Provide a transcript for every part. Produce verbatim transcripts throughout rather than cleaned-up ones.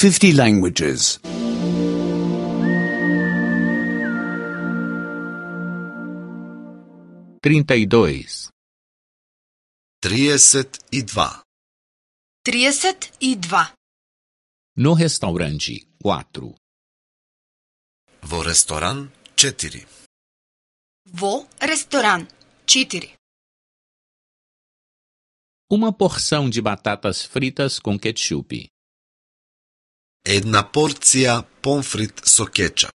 fifty languages. trinta e dois. trideset e dva. trideset e dva. No restaurante, quatro. Во ресторан, четири. Во ресторан, четири. Uma porção de batatas fritas com ketchup. Една порција помфрит со кетчап.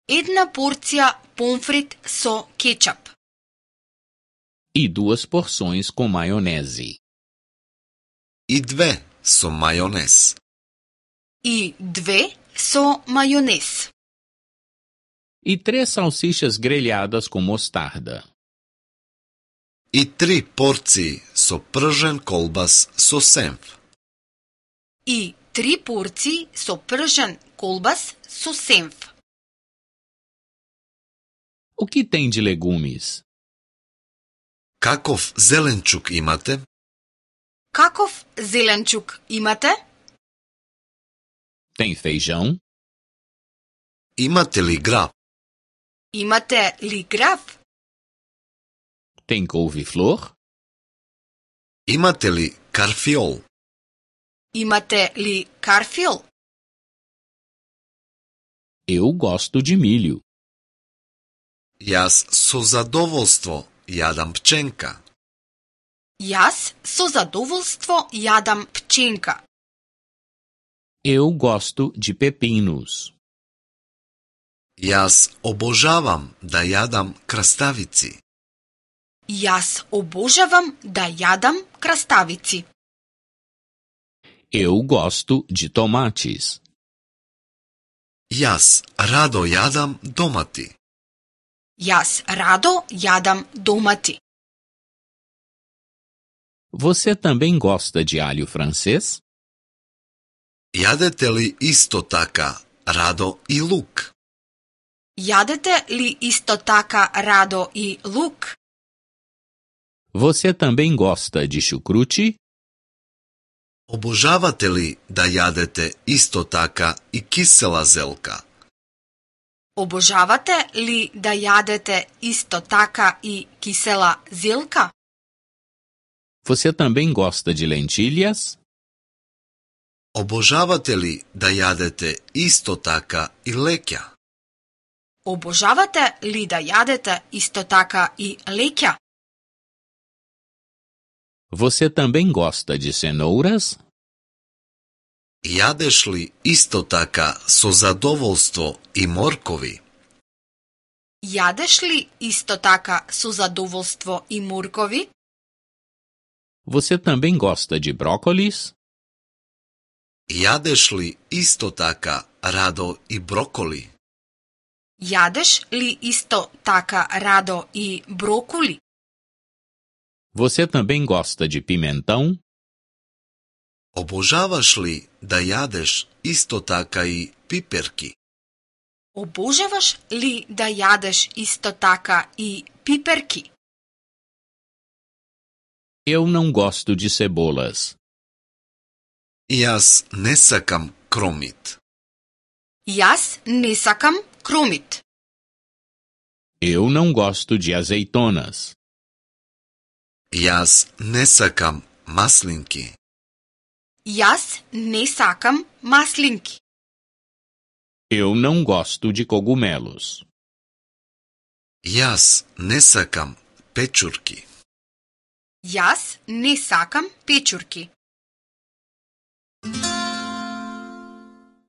Една порција помфрит со кетчап. E duas porções com maionese. И две со мајонез. И две со мајонез. E três salsichas grelhadas com mostarda. И три порции со пржен колбас со сенф. И три порции со пржен колбас со сенф. O que tem de legumes? Каков зеленчук имате? Каков зеленчук имате? Tem feijão? Имате ли граб? Имате ли грав? Tem couve-flor? Имате ли карфиол? Имате ли карфиол? Eu gosto de milho. Јас со задоволство јадам пченка. Јас со задоволство јадам пченка. Eu gosto de pepinos. Јас обожавам да јадам краставици. Јас обожавам да јадам краставици. Eu gosto de tomates. Јас радо јадам домати. Јас радо јадам домати. Você também gosta de alho francês? Јадете ли исто така радо и лук? Јадете ли исто така радо и лук? Você também gosta de chucrute? Обожавате ли да јадете исто така и кисела зелка? Обожавате ли да јадете исто така и кисела зелка? Você também gosta de lentilhas? Обожавате ли да јадете исто така и леќа? Обожавате ли да јадете исто така и леќа? Você também gosta de cenouras? Јадеш ли исто така со задоволство и моркови? Јадеш ли исто така со задоволство и моркови? Você também gosta de brócolis? Јадеш ли исто така радо и броколи? Јадеш ли исто така радо и брокули? Você também gosta de pimentão? Обожаваш ли да јадеш исто така и пиперки? Обожаваш ли да јадеш исто така и пиперки? Eu não gosto de cebolas. Јас не сакам кромит. Јас не сакам кромит. Eu não gosto de azeitonas. Јас не сакам маслинки. Јас не сакам маслинки. Eu não gosto de cogumelos. Јас не сакам печурки. Јас не сакам печурки.